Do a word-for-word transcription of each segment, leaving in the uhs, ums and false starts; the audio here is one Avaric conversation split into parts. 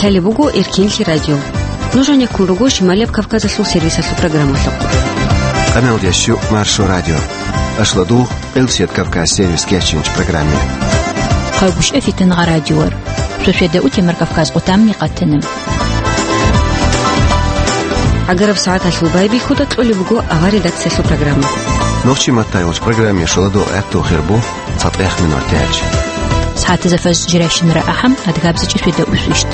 Лъалеб буго Эркенлъи радио. Нуж гьанеккун руго Шималияб Кавказалъул сервисалъул программалъухъ. Къамел ящу Маршо радио. Ашладу Къилсият Кавказ сервис кечинч программе. Хъагушев Фитангъа радиор. Шошеда утемар Кавказ къутамни къатана. Агараб сагӀаталъул байбихьуда кьолеб буго авар редакциялъул программа. Нохчи маттайгъулч программе шоладу гӀатту хирбу. ЦатӀех минутач. СагӀатазафаз жирайщинара ахӀам, адгабзичӀи шведа усвищт.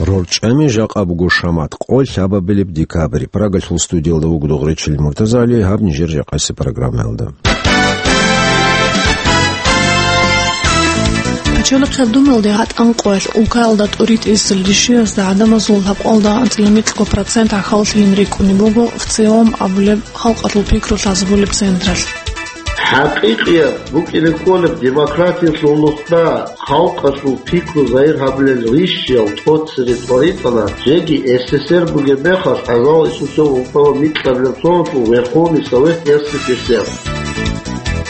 РорчӀами жакъа буго шамат къо лъабабилеб декабрь. Прагалъул студиялда вуго Дугъричил Муртазали, гьаб нижер жакъаси программаялда. Пачалихъ гьаб думалде гьатӀан къоялъ улкаялда тӀуритӀисел ришиязда гӀадамазул лъабкъалда анцӀила микьго процент гӀахьаллъилин рикӀкӀунеб буго ВЦИОМ абулеб халкъалъул пикру лъазабулеб централъ. ХӀакъикъияб букӀине кколеб демократиялъул нухда халкъалъул пикру загьир гьабилел ришиял тӀоцере тӀваритӀана, жеги СССР бугеб мехалъ гӀазал исусев ункъоялда микьабилеб соналъул Верховный Совет СССР.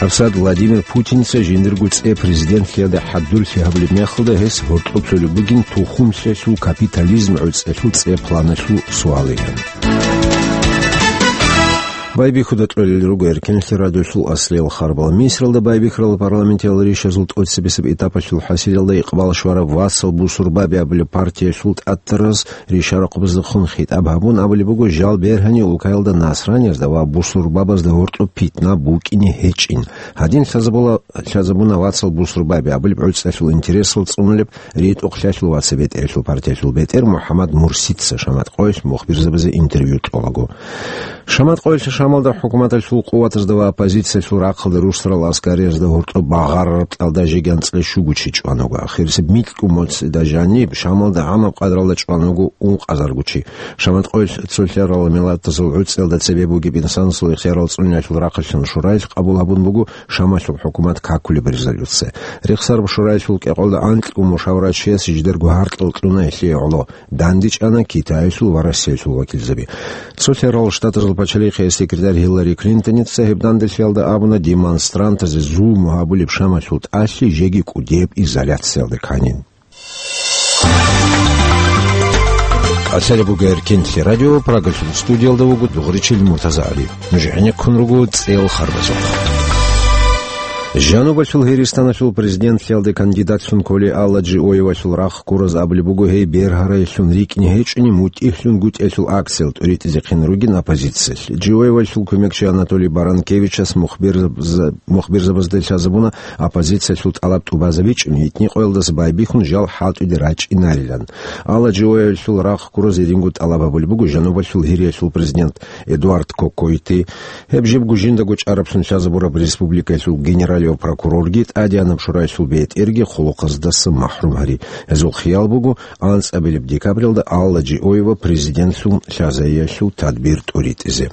Абсад Владимир Путинца жиндирго цӀе президентлъиялда хӀадурлъи гьабулеб мехалда гьес гьоркьоб лъолеб бугин тухумлъиялъул капитализм гӀуцӀелъул цӀе планалъул суалилан. Байбихьуда кьолел руго Эркенлъи радиолъул аслиял харбал. Мисралда байбихьарал парламентиял ришазул тӀоцебесеб этапалъул хӀасилалда икъбал щвараб Вацал Бусурбаби абулеб партиялъул тӀатараз ришарахъубаздехун хитӀаб гьабун абулеб буго, жал бергьани улкаялда насраниязда ва бусурбабазда гьоркьоб питна букӀине гьечӀин. Гьадин лъазабула-, лъазабуна Вацал Бусурбаби абулеб гӀуцӀалъул интересал цӀунулеб ритӀухълъалъул ва цебетӀералъул партиялъул бетӀер МухӀаммад Мурсица шамат къоялъ мухбирзабазе интервью кьолаго. Шамат къоялъ Шамалда хӀукуматалъул къуватазда ва оппозициялъул рахъалда рушарал аскариязда гьоркьоб багъарараб кьалда жеги анцӀила щуго чи чӀван вуго. Ахирисеб микьго моцӀида жаниб Шамалда гӀамаб къадралда чӀван вуго ункъазарго чи. Шамат къоялъ цолъарал миллатазул гӀуцӀиялда цебе бугеб инсанасул ихтиярал цӀуниялъул рахъалъан шураялъ къабул гьабун буго Шамалъул хӀукумат какулеб резолюция. Рехсараб шураялъул кӀикъоялда анкьго мушаврачияс жидерго гьаркьал кьуна гьелъие гӀоло. ДандечӀана Китаялъул ва Россиялъул вакилзаби. Цолъарал Штатазул пачалихъияс секретарь Гьиллари Клинтоница гьеб данделъиялда абуна, демонстрантазе зулму гьабулеб Шамалъул тӀалъи жеги кӀудияб изоляциялда кканин. Лъалеб буго Эркенлъи радио, Прагалъул студиялда вуго Дугъричил Муртазагьали. Нуж гӀенеккун руго цӀел харбазухъ. Жанубалъул Гьиристаналъул президентлъиялде кандидатлъун кколей Алла Джиоевалъул рахъ ккураз абулеб буго, гьей бергьараялъун рикӀкӀине гьечӀони, мутӀигьлъун гутӀиялъул акциялъ тӀуритӀизехъин ругин оппозициялъ. Джиоевалъул кумекчи Анатолий Баранкевичас мухбирзаб-, мухбирзабазда лъазабуна, оппозициялъул тӀалаб тӀубазабичӀун, гьитӀинкъоялдаса байбихьун жал хӀалтӀуде рачӀинарилан. Алла Джиоевалъул рахъ ккураз гьединго тӀалаб гьабулеб буго жанубалъул Гьириялъул президент Эдуард Кокойти. Гьеб жибго жиндаго чӀараблъун лъазабураб республикаялъул генералияв прокурорги, ТӀадегӀанаб шураялъул бетӀерги хъулухъаздаса махӀрум гьари. Гьезул хиял буго, анцӀабилеб декабралда Алла Джиоева президентлъун лъазаялъул тадбир тӀуритӀизе.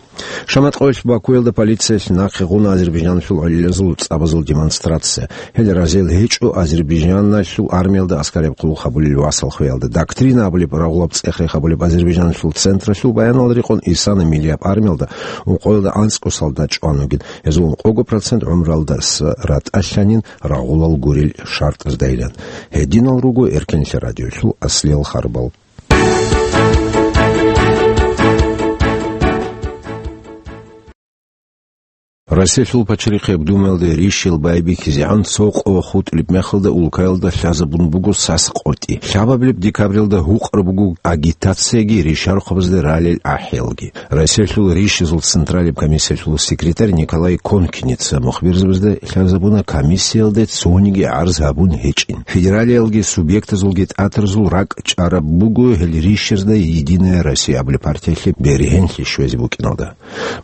Шамат къоялъ Бакуялда полициялъ нахъе гъуна азербайджанлъул гӀалилазул цӀабазул демонстрация. Гьел разил гьечӀо Азербайджаналъул армиялда аскараб хъулухъ гьабулел васал хвеялда. Доктрина абулеб рагъулаб цӀех-рех гьабулеб Азербайджаналъул централъул баяналда рекъон исана миллияб армиялда ункъоялда анцӀго солдат чӀван вугин. Гьезул ункъого процент гӀумралдаса ратӀалъанин рагъулал гурел шартӀаздайилан. Гьединал руго Эркенлъи радиолъул аслиял харбал. Россиялъул пачалихъияб Думаялде ришиял байбихьизегӀан цо къо хутӀулеб мехалда улкаялда лъазабун буго сас къотӀи. Лъабабилеб декабралда гьукъараб буго агитацияги ришарахъубазда ралел ахӀиялги. Россиялъул ришазул централияб комиссиялъул секретарь Николай Конкиница мухбирзабазда лъазабуна, комиссиялде цониги гӀарз гьабун гьечӀин. Федералиялги субъектазулги тӀатарзул ракӀ чӀараб буго гьел ришазда «Единая Россия» абулеб партиялъе бергьенлъи щвезе букӀиналда.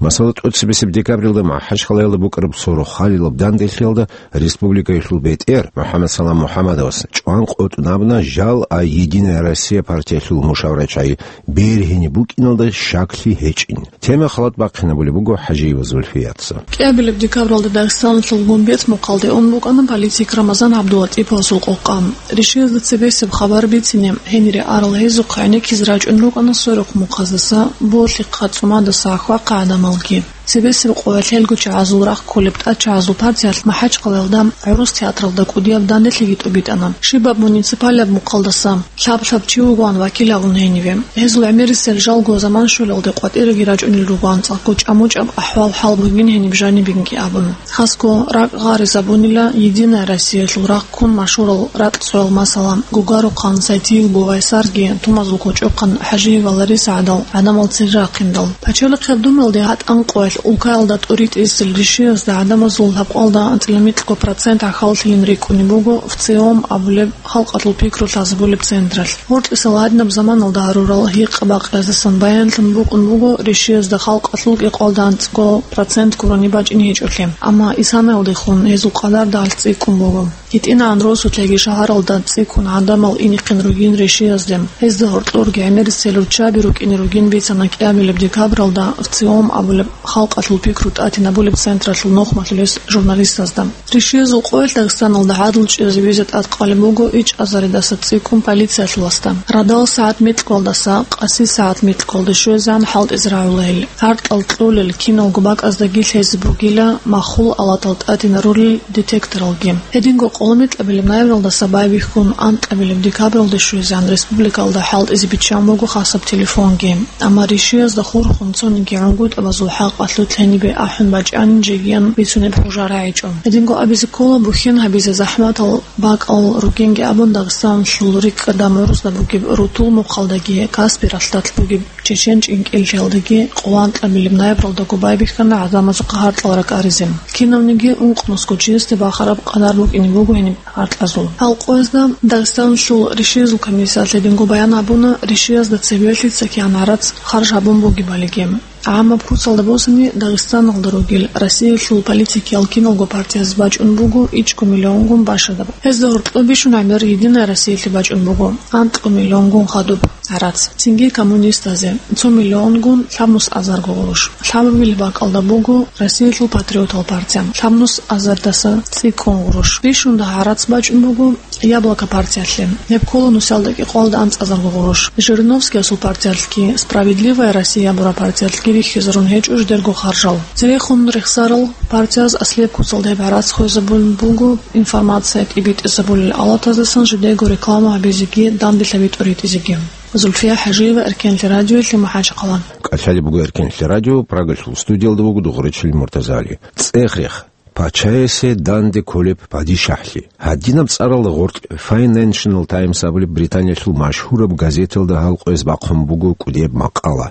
Масала, тӀоцебесеб декабралда МахӀачхъалаялда букӀараб сорохъалилаб данделъиялда республикаялъул бетӀер МухӀаммад Салам МухӀаммадовас чӀван къотӀун абуна, жал а «Единая Россия» партиялъул мушаврачагӀи бергьине букӀиналда щаклъи гьечӀин. Тема халат бахъинабулеб буго ХӀажиева Зульфияца. КӀиабилеб декабралда Дагъистаналъул Гумбет мухъалде ун букӀана политик Рамазан ГӀабдулатӀиповасул къокъа. Ришиязда цебесеб хабар бицине, гьенире арал гьезухъ гӀенеккизе рачӀун рукӀана сверухъ мухъаздаса, болъихъа, цӀумадаса ахвахъа гӀадамалги. Цебесеб къоялъ гьелго чагӀазул рахъ кколеб тӀадчагӀазул партиялъ МахӀачхъалаялда гӀурус театралда кӀудияб данделъиги тӀубитӀана. Щибаб муниципалияб мухъалдаса лъаб-лъаб чи вугоан вакил гьавун гьениве. Гьезул гӀемерисел жалго заман щолелде къватӀираги рачӀунел руго анцӀго, чӀамучӀаб ахӀвал-хӀал бугин гьениб жанибинги абун. Хасго ракӀ гъаризабунила «Единая Россиялъул» рахъ ккун машгьурал ракьцӀоял, масала, Гугарухъан Сайтиев Бувайсарги, Тумазул кочӀохъан ХӀажиева Лариса гӀадал гӀадамал цере рахъиндал. Пачалихъ гьаб думелде гьатӀан къоялъ улкаялда тӀуритӀисел ришиязда гӀадамазул лъабкъалда анцӀила микьго процент гӀахьаллъилин рикӀкӀунеб буго ВЦИОМ абулеб халкъалъул пикру лъазабулеб централъ. Гьоркьисал гьадинаб заманалда гьарурал гьикъа-бакъиязасан баянлъун букӀун буго ришиязда халкъалъул кӀикъоялда анцӀго процент гурони бачӀине гьечӀолъи, амма исанаялдехун гьезул къадар дагьалъ цӀикӀкӀун буго. ГьитӀинагӀан росулъеги шагьаралда цӀикӀкӀун гӀадамал инехъин ругин ришиязде. Гьезда гьоркьорги гӀемерисел руччаби рукӀине ругин бицана кӀиабилеб декабралда ВЦИОМ абулеб халкъалъул пикру тӀатинабулеб централъул нухмалъулес журналистазда. Ришиязул къоялъ Дагъистаналда гӀадлу чӀезе визе тӀадкъалеб буго ичӀазаридаса цӀикӀкӀун полициялъуласда. Радал сагӀат микьгоялдаса къаси сагӀат микьгоялде щвезегӀан хӀалтӀизе рагӀула гьел. ГьартӀал кьолел киналго бакӀаздаги лъезе бугила махул алатал тӀатинарулел детекторалги. Гьединго къоло микьабилеб ноябралдаса байбихьун анкьабилеб декабралде щвезегӀан республикалда хӀалтӀизе биччан буго хасаб телефонги. Амма ришиязда хурхун цониги гӀунгутӀабазул хӀакъалъулъ гьенибе ахӀун бачӀанин жегиян бицунеб хӀужа рагӀичӀо. Гьединго абизе ккола бухьен гьабизе захӀматал бакӀал ругинги абун Дагъистаналъул рикӀкӀадам гӀурузда бугеб рутул мухъалдаги Каспи ралъдалъ бугеб чечен чӀинкӀиллъиялдаги. Къоло анкьабилеб ноябралдаго байбихьана гӀадамазухъа гьартӀал ракӀаризе. Кинавниги ункънусго чиясде бахараб къадар букӀине буго гьениб гьартӀазул. Гьал къоязда Дагъистаналъул ришиязул комиссиялъ гьединго баян гьабуна, ришиязда цебе лъица кигӀан гӀарац харж гьабун бугебалиги. ГӀаммаб куцалда босани, Дагъистаналда ругел Россиялъул политикиял киналго партияз бачӀун буго ичӀго миллионгун башадаб. Гьезда гьоркьоб бищун гӀемер «Единая Россиялъе» бачӀун буго анкьго миллионгун хадуб гӀарац. Цинги коммунистазе цо миллионгун лъабнус азарго гъурущ. Лъабабилеб бакӀалда буго Россиялъул патриотал партия, лъабнус азардаса цӀикӀкӀун гъурущ. Бищун дагь гӀарац бачӀун буго «Яблоко» партиялъе. Гьеб ккола нусалда кӀикъоялда анцӀазарго гъурущ. Жириновскиясул партиялъги, «Справедливая Россия» абураб партиялъги рихьизарун гьечӀо жидерго харжал. Церехун рехсарал партияз аслияб куцалда гьеб гӀарац хвезабун буго информация тӀибитӀизабулел алатаздасан жидерго реклама гьабизеги данделъаби тӀуритӀизеги. Зульфия ХӀажиева, Эркенлъи радиоялъе, МахӀачхъала. КӀалъалеб буго Эркенлъи радио, Прагалъул студиялда вуго Дугъречил Муртазали. ЦӀех-рех. Пачаясе данде кколеб падишахӀлъи. Гьадинаб цӀаралда гъоркь Financial Times абулеб Британиялъул машгьураб газеталда гьал къояз бахъун буго кӀудияб макъала.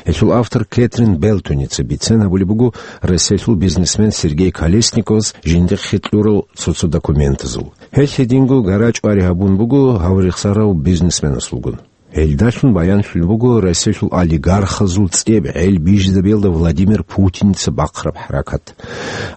Гьелъул автор Кэтрин Белтоница бицен гьабулеб буго Россиялъул бизнесмен Сергей Колесниковас жиндихъе кьурал цо-цо документазул. Гьелъ гьединго гарачӀвари гьабун буго гьав рехсарав бизнесменасулгун. Гьелдалъун баянлъулеб буго Россиялъул олигархазул цӀеб гӀел бижизабиялда Владимир Путинца бахъараб хӀаракат.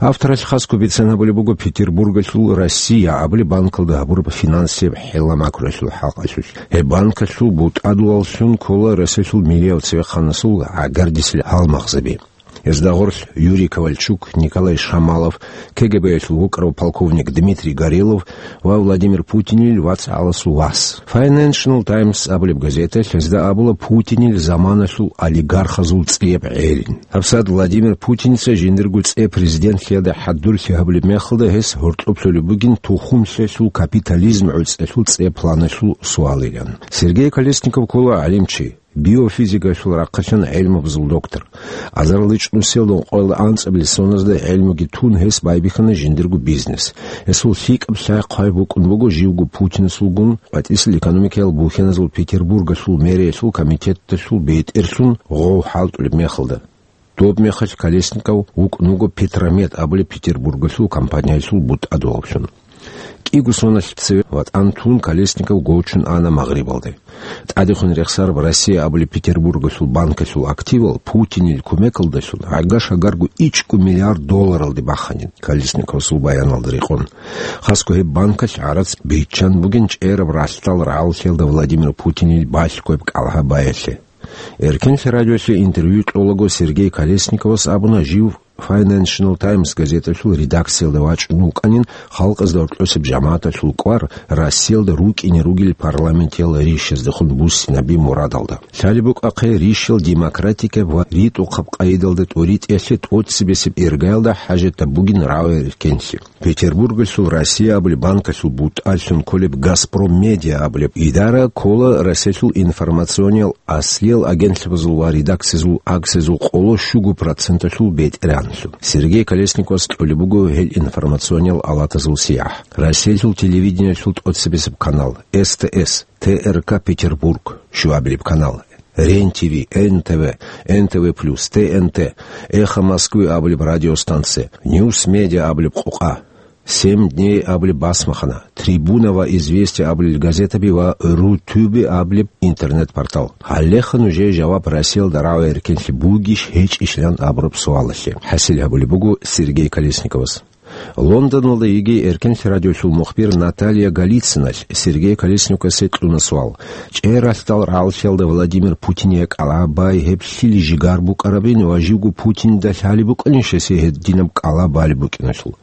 Авторалъ хасго бицен гьабулеб буго Петербургалъул «Россия» абулеб банкалда гьабураб финансияб хӀеламакрулъул хӀакъалъулъ. Гьеб банкалъул бутӀадулаллъун ккола Россиялъул милияб цевехъанасул гӀагардисел гьалмагъзаби. Гьезда гъорлъ Юрий Ковальчук, Николай Шамалов, КГБ-ялъул вукӀарав полковник Дмитрий Горелов ва Владимир Путинил вацгӀаласул вас. Financial Times абулеб газеталъ гьезда абула Путинил заманалъул олигархазул цӀеб гӀелин. ГьабсагӀат Владимир Путинца жиндирго цӀе президентлъиялда хӀадурлъи гьабулеб мехалда гьес гьоркьоб лъолеб бугин тухумлъиялъул капитализм гӀуцӀиялъул цӀе планалъул суалилан. Сергей Колесников ккола гӀалимчи. Биофизикалъул рахъалъан гӀелмабазул доктор. Азарилан чӀунусиялда ункъоялда анцӀабилеб соназда гӀелмуги тун гьес байбихьана жиндирго бизнес. Гьесул лъикӀаб лъай-хъвай букӀун буго живго Путинасулгун къватӀисел экономикаял бухьаназул Петербургалъул мэриялъул комитеталъул бетӀерлъун гъов хӀалтӀулеб мехалда. Доб мехалъ Колесников вукӀун вуго «Петромет» абулеб Петербургалъул компаниялъул бутӀадулаллъун. КӀиго соналъ цеве ватӀан тун Колесников гочун ана Магърибалде. ТӀадехун рехсараб «Россия» абулеб Петербургалъул банкалъул активал Путинил кумекалдалъун гӀага-шагарго ичӀго миллиард долларалде баханин, Колесниковасул баяналда рекъон. Хасго гьеб банкалъ гӀарац биччан бугин чӀераб ралъдал рагӀаллъиялда Владимир Путинил балъгояб кӀалгьабаялъе. Эркенлъи радиолъе интервью кьолаго Сергей Колесниковас абуна жив Financial Times газеталъул редакциялда вачӀун вукӀанин халкъазда гьоркьосеб жамагӀаталъул кӀвар Россиялда рукӀине ругел парламентиял ришаздехун буссинаби мурадалда. Лъалеб букӀахъе ришал демократикаб ва ритӀухъаб къайдалда тӀоритӀиялъе тӀоцебесеб иргаялда хӀажатаб бугин рагӀи-реркенлъи. Петербургалъул «Россия» абулеб банкалъул бутӀаллъун кколеб «Газпром Медиа» абулеб идара ккола Россиялъул информациониял аслиял агентлъабазул ва редакциязул аксиязул къоло щуго проценталъул бетӀергьанлъун. Сергей Колесниковас кьолеб буго гьел информациониял алатазул сияхӀ. Россиялъул телевидениялъул тӀоцебесеб канал, С Т С, Т Р К Петербург, щуабилеб канал, Рен Т В, Н Т В, Н Т В плюс, Т Н Т, Эхо Москвы абулеб радиостанция, Ньюс Медиа абулеб къокъа, Семь дней абулеб басмахана, Трибуна ва Известия абулел газетаби ва Рутюби абулеб интернет-портал. Гьалеха нужее жаваб Россиялда рагӀи-реркенлъи бугищ-гьечӀищилан абураб суалалъе. ХӀасил гьабулеб буго Сергей Колесниковас. Лондоналда йигей эркенлъи радиолъул мухбир Наталья Голицыналъ Сергей Колесниковасе кьуна суал. ЧӀералъдал рагӀаллъиялда Владимир Путине кӀалабай гьеб лъил жигар букӀарабин ва живго Путинда лъалеб букӀанищ гьесие гьединаб кӀалаб балеб букӀиналъул?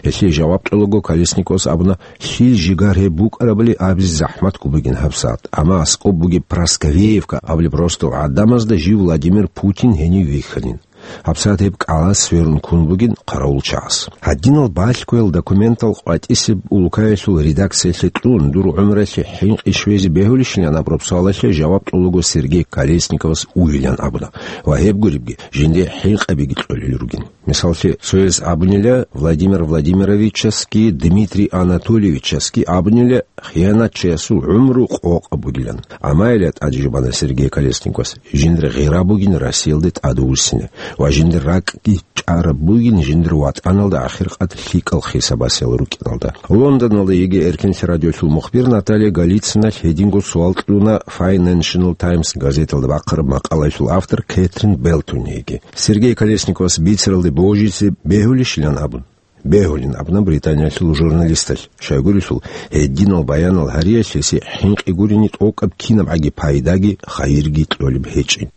Гьелъие жаваб кьолаго Колесниковас абуна, лъил жигар гьеб букӀарабали абизе захӀматго бугин гьабсагӀат, амма аскӀоб бугеб Прасковеевка абулеб росдал гӀадамазда жив Владимир Путин гьенив вихьанин. ГьабсагӀат гьеб кӀалас сверун ккун бугин хъаравулчагӀаз. Гьадинал балъгоял документал къватӀисеб улкаялъул редакциялъе кьун, дур гӀумруялъе хӀинкъи щвезе бегьулищилан абураб суалалъе жаваб кьолаго Сергей Колесниковас уйилан абуна ва гьеб гуребги жинде хӀинкъабиги кьолел ругин. Мисаллъе, цояс абунила, Владимир Владимировичасги Дмитрий Анатольевичасги абунила, хиянатчиясул гӀумру къокъаб бугилан. Амма ила тӀаде жубана Сергей Колесниковас, жиндир гъира бугин Россиялде тӀадвуссине ва жиндир ракӀги чӀараб бугин жиндир ватӀаналда ахиркъад лъикӀал хисабасел рукӀиналда. Лондоналда йигей эркенлъи радиолъул мухбир Наталья Голицыналъ гьединго суал кьуна Financial Times газеталда бахъараб макъалаялъул автор Кэтрин Белтонеги. Сергей Колесниковас бицаралде божизе бегьулищилан абун? Бегьулин абуна Британиялъул журналисталъ. Щайгурелъул, гьединал баянал гьариялъ гьесие хӀинкъи гурине тӀокӀаб кинабгӀаги пайдаги хайирги кьолеб гьечӀин.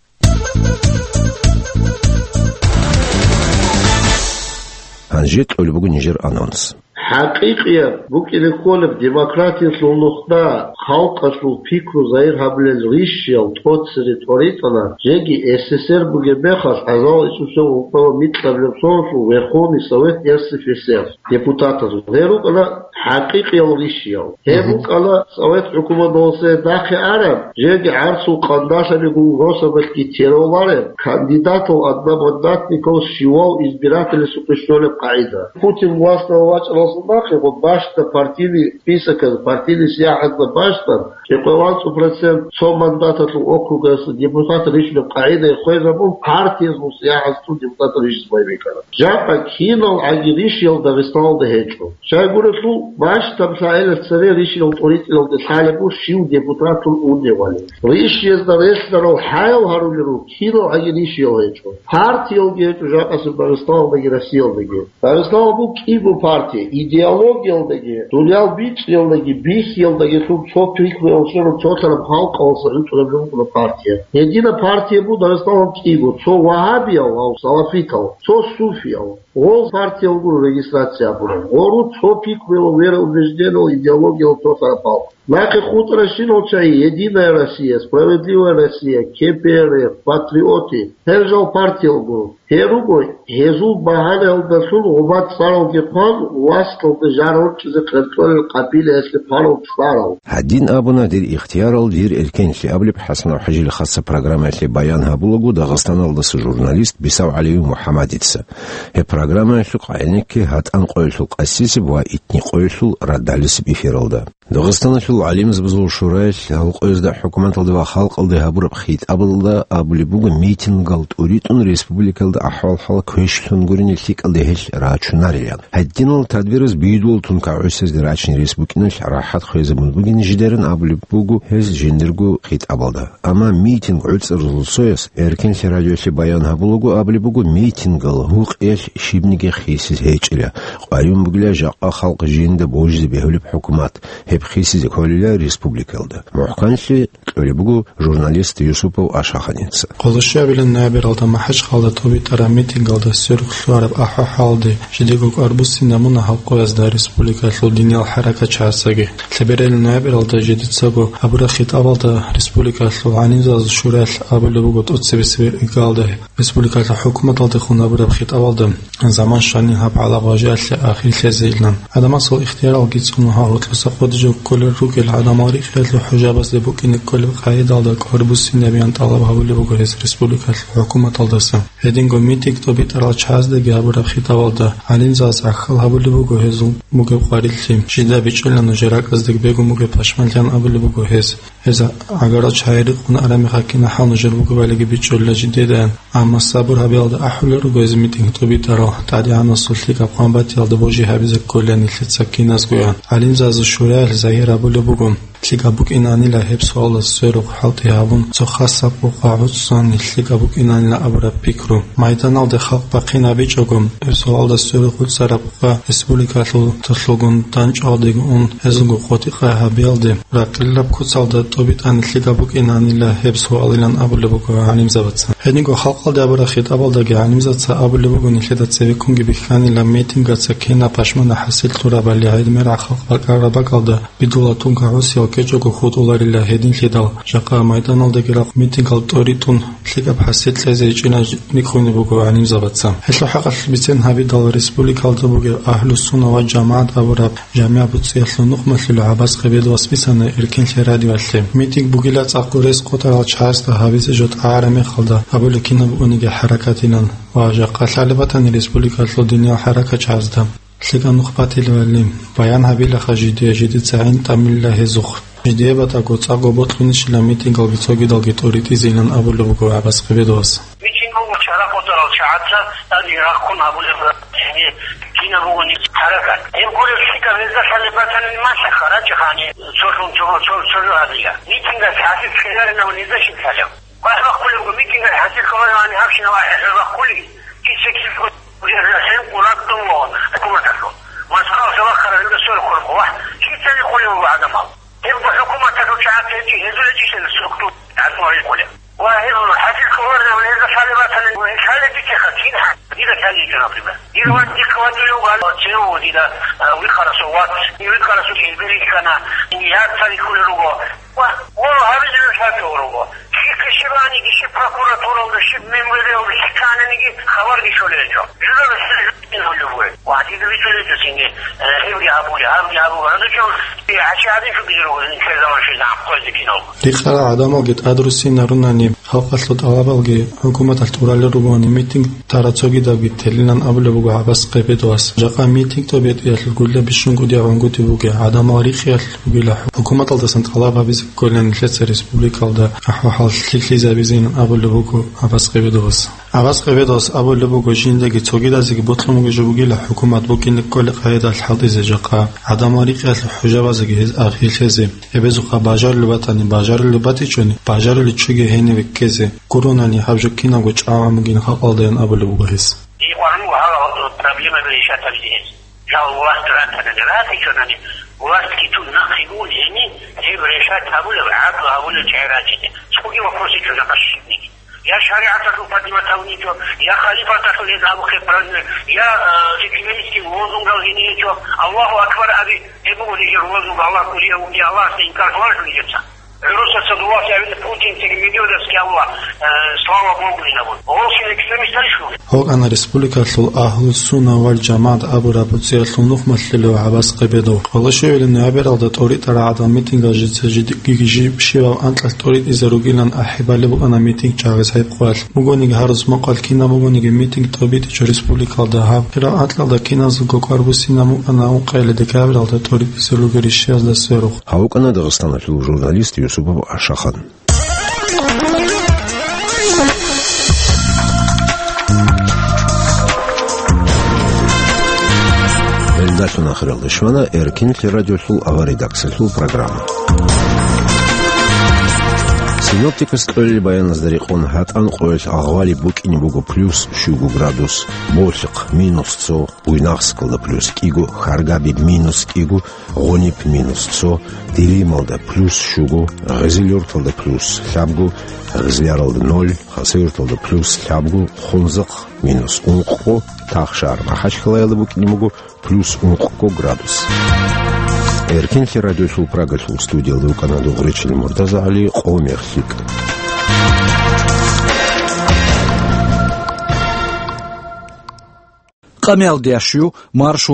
Гьанже кьолеб буго нижер анонс. ХӀакъикъияб букӀине кколеб демократиялъул нухда халкъалъул пикру загьир гьабулел ришиял тӀоцере тӀоритӀана, жеги С С С Р бугеб мехалъ гӀазал ичӀусев ункъоялда микьабилеб соналъул Верховный Совет Р С Ф С Р депутатазул. Гьел рукӀана хӀакъикъиял ришиял. Гьеб Мгм. букӀана Совет хӀукуматалъе нахъе араб, жеги гӀарцул къандалъабигун росабалъги теролареб, кандидатал одномандатникал щивав избирателасухъе щолеб къагӀида. Путин власталда вачӀаралдаса нахъего бащда партийный списоказ, партийный сияхӀазда бащдан, кӀикъоялда анцӀ процент цо мандаталъул округасда депутат рищунеб къагӀида хвезабун, партиязул сияхӀазда депутат рищизе байбихьана. Жакъа киналгӀаги ришиял Дагъистаналда гьечӀо. Щайгурелъул, бащдаб лъагӀелалъ цере ришиял тӀоритӀиналде лъалеб буго щив депутатун уневали. Ришиязда релълъарал хӀаял гьарулел руго, киналгӀаги ришиял гьечӀо. Партиялги гьечӀо жакъасеб Дагъистаналдаги Россиялдаги. Дагъистаналда буго кӀиго партия, идеологиялдаги, дуниял бичӀчӀиялдаги, бихьиялдагилъун цо пикруялъун цолъараб халкъалъ гӀунтӀараб жо букӀуна партия. Гьединаб партия буго Дагъистаналда кӀиго, цо вагьабиял, гьав салафитал, цо суфиял. Гъол партиял гуро регистрация гьабурал. Гъору цо пикруялъ, вероубеждениялъ, идеологиялъ цолъараб халкъ. Нахъе хутӀаращинал чагӀи: Единая Россия, Справедливая Россия, К П Р Ф, Патриоты, гьел жал партиял гуро. Гьел руго гьезул багьанаялдалъун гъумад цӀаралги хъван, васалде жар гьоркьизе хъеркьолел къабилаялъе хъварал цӀарал. Гьадин абуна: «Дир ихтиярал, дир эркенлъи», — абулеб ХӀасанов-ХӀажил хасаб программаялъе баян гьабулаго Дагъистаналдаса журналист Бисав ГӀалиев МухӀаммадица. Гьеб программаялъухъ гӀенекке гьатӀан къоялъул къасисеб ва итни къоялъул радалисеб эфиралда. Дагъистаналъул гӀалимзабазул шураялъ гьал къоязда, хӀукуматалде ва халкъалде гьабураб хитӀабалда абулеб буго, митингал тӀуритӀун республикалда ахӀвал-хӀал квешлъун гурине лъикӀалде гьелъ рачунарилан. Гьединал тадбираз бидул тун кагӀусезде рачин рес букӀиналъ рахӀат хвезабун бугин жидерин абулеб буго гьез жиндирго хитӀабалда. Амма митинг гӀуцӀаралъул цояс, Эркенлъи радиолъе баян гьабулаго, абулеб буго, митингал гьукъиялъ щибниги хисиз гьечӀила, къваригӀун бугила жакъа халкъ жинда божизе бегьулеб хӀукумат. гьеб хисизе кколила республикалда. МухӀканлъи кьолеб буго журналист Юсупов Ашаханица. Къолошиябилан ноябралда МахӀачхъалда тӀобитӀараб митингалда сверухъ лъугьараб ахӀвал-хӀалде жидего кӀвар буссинабуна халкъоязда республикалъул диниял хӀаракатчагӀаздаги. Лъебералил ноябралда жидецаго гьабураб хитӀабалда республикалъул гӀалимзабазул шураялъ абулеб буго тӀоцебесеб иргалда республикалъул хӀукуматалдехун гьабураб хитӀабалда заман щванин гьаб гьалаб важиялъе ахир лъезейилан. Адамасул ихтияралги цӀуна гьал гьоркьоса къодиже кколел ругел гӀадамал рихиялъул хӀужабазде букӀине кколеб къагӀидалда кӀвар буссинабеян тӀалаб гьабулеб буго гьес республикалъул хӀукуматалдаса. Гьединго митинг тӀобитӀарал чагӀаздеги гьабураб хитӀабалда гӀалимзабаз гӀахьал гьабулеб буго гьезул бугеб къварилъи. Жинда бичӀчӀила нужер ракӀаздеги бегун бугеб пашманлъиян абулеб буго гьес. Гьез гӀагарал чагӀи рикъун араб мехалъ кинахӀал нужер бугебалиги бичӀчӀулила жидеда. Амма сабур гьабиялда ахӀулел руго гьез митинг тӀобитӀарал, ТӀадегӀанасул лъикӀаб хъван батиялда божи гьабизе кколила нилъеца киназгоян. ГӀалимзабазул шураялъ загьир гьабулеб буго, лъикӀаб букӀинанила гьеб суалда сверухъ хӀалтӀи гьабун, цо хасаб къокъа гӀуццан лъикӀаб букӀинанила абураб пикру. Майданалде халкъ бахъин гьабичӀого, гьеб суалда сверухъ гӀуцӀараб къокъа республикалъул толъолгун данчӀвалдеги ун, гьезулго къотӀи-къай гьабиялде, ракъилаб куцалда тӀобитӀани лъикӀаб букӀинанила гьеб суалилан абулеб буго гӀалимзабаца. Гьединго халкъалде абураб хитӀабалдаги гӀалимзабаца абулеб буго нилъеда цебеккунги бихьанила митингаца кинаб пашманаб хӀасил лъурабали, гӀемер халкъ бакӀараб бакӀалда бидулатунго гӀусиял кечӀого хутӀуларила гьединлъидал, жакъа майданалдаги рахъ митингал тӀоритӀун лъикӀаб хӀасил кьезе гьечӀилан рихьунеб буго гӀалимзабаца. Гьелъул хӀакъалъ бицен гьабидал республикалда бугеб Агьлу-сунна ва жамагӀат абураб жамигӀ буцӀиялъул нухмалъулев ГӀаббас Къебедовас бицана Эркинлъи радиоялъе. Митинг бугила цӀакъ гурес къотӀарал чагӀазда гьабизе жо тӀагӀараб мехалда абулеб кинаб бугониги хӀаракатилан ва жакъа лъалеб батани республикалъул диниял хӀаракатчагӀазда. ЛъикӀаб нух батилевали, баян гьабилаха жидее, жидеца гӀин тӀамилла гьезухъ. Жидее батӀаго цӀакъго бокьунищила митингалги цогидалги тӀоритӀизейилан абулеб буго ГӀаббас Къебедовас. Митинг буго чара къотӀарал чагӀаца тӀаде рахъун гьабулеб гьеб кинаб бугони хӀаракат. Гьеб гуреб лъикӀаб гьезда лъалеб батани, малъа-ха, рачӀа-ха гьаниб цолъун цо, цо, цо жо гьабила. Митингас хӀасил ккеларинав низа щиб лъалеб? Вахь бахъулеб буго, митингал хӀасил кколароани гьабщинаб ахӀи бахъули, киса-киса хӀинкъун ракӀ тӀун вугьун хӀукуматалъул. Москвалъа вахъарав гьелда сверухъ хурхъо, вахь, кицани хъулев вуго гӀадамал. Гьебго хӀукуматалъул чагӀаца гьечӀи, гьезул гьечӀищали структура гӀадамал рикъулеб. Ва гьел хӀасил кколаринав гьезда лъалеб батани, гьел лъалеб бицеха, кин хӀа-, дида лъалеб гьечӀо, например. Дир вац дихъе вачӀулев вуго, гьале цеве вуго дида, а, вихъарасул вац, вихъарасул гьелбер рихьана, я цари кколел руго. Ва, ва гьабизе нуша цо руго. Щихъе щибаниги, щиб прокуратуралда, щиб МВД-алда, щиб кканиги хабарги щолел гьечӀо. Журналист гьулев вугев. Ва дида бицунеб гьечӀо цинги, э, гьебги гьабуге, гьабги гьабуге. Гьанже чӀун, э, гьачи гьадин щугизе руго, нилъер заман щвезегӀан хъвезе киналго. Рикъарал гӀадамалги тӀадруссинарунани, халкъалъул тӀалабалги хӀукуматалъ тӀуралел ругони, митинг тара цогидабги телилан абулеб буго ГӀаббас Къебедовас. Жакъа митинг тӀобитӀиялъул гулла бищун кӀудияб гӀунгутӀи бугеб, гӀадамал рихиялъ бугила хӀукуматалдасан тӀалаб гьабизе кколин нилъеца республикалда ахӀвал-хӀал лъикӀлъизабизейилан абулеб буго ГӀаббас Къебедовас. ГӀаббас Къебедовас абулеб буго, жиндаги цогидазеги ботлъун бугеб жо бугила хӀукумат букӀине кколеб къагӀидалъ хӀалтӀизе жакъа, гӀадамал рикьиялъул хӀужабазеги гьез ахир лъезе. Гьебезухъа бажарулеб батани, бажарулеб батичӀони, бажаруличӀоги гьениве ккезе гуронани, гьаб жо кинабго чӀагӀан бугин халкъалдаян абулеб буго гьес. Дие къваригӀун вуго гьал проблемаби решать гьабизе гьез. Жал власть ратанани, ратичӀонани, властги тун нахъе гун гьениб, гьеб решать гьабулеб, гӀадлу гьабулеб чагӀи рачине. Цоги вопрос гьечӀо жакъа щибниги. Я шаригӀаталъул поднимать гьабун гьечӀо, я халифаталъул гьез абухъе праздник, я, э, экстремистский лозунгал гьениб гьечӀо. Аллагьу акбар аби, гьеб буго нижер лозунг, Аллагь кӀудияв вугин, Аллагьасда инкар гьабуларо нижеца. ГӀурусаца дуласе гьавида Путинцаги Медведевский Аллагь, э, слава Богу, гьинабун. Гьоркьоса экстремистарищ ругел? Гьоркьана республикалъул Агьлу-сунна вал жамагӀат абураб буцӀиялъул нухмалъулев ГӀаббас Къебедов. Къолошиябилан ноябралда тӀоритӀараб гӀадал митингал жица жидеги жиб щибаб анкьалъ тӀоритӀизе ругилан ахӀи балеб букӀана митинг чагӀизе гьеб къоялъ. Бугониги гьарус мукъалъ кинаб бугониги митинг тӀобитӀичӀо республикалда гьаб. Хирал анкьалда киназего кӀвар буссинаб букӀана ункъоялда декабралда тӀоритӀизе ругел ришшиязда сверухъ. Гьав вукӀана Дагъистаналъул журналист Юсупов Ашахан. Гьелдалъун ахиралде щвана Эркинлъи радиолъул авария редакциялъул программа. Синоптикас кьолел баяназда рекъон, гьатӀан къоялъ Агъвалиб букӀине буго плюс щуго градус, Болъихъ — минус цо, Буйнакскалда плюс кӀиго, Хьаргабиб — минус кӀиго, Гъуниб — минус цо, Делималда плюс щуго, Гъизилюрталда плюс лъабго, Гъизляралда ноль, Хасавюрталда плюс лъабго, Хунзахъ — минус ункъго, Тахшагьар Махачкалаялда букӀине буго плюс ункъго градус. Эркинлъи радиолъул Прагалъул студиялда вукӀана Дугъричил МуртазагӀали. Къомерхъ лъикӀ. Къамиялдиящую маршо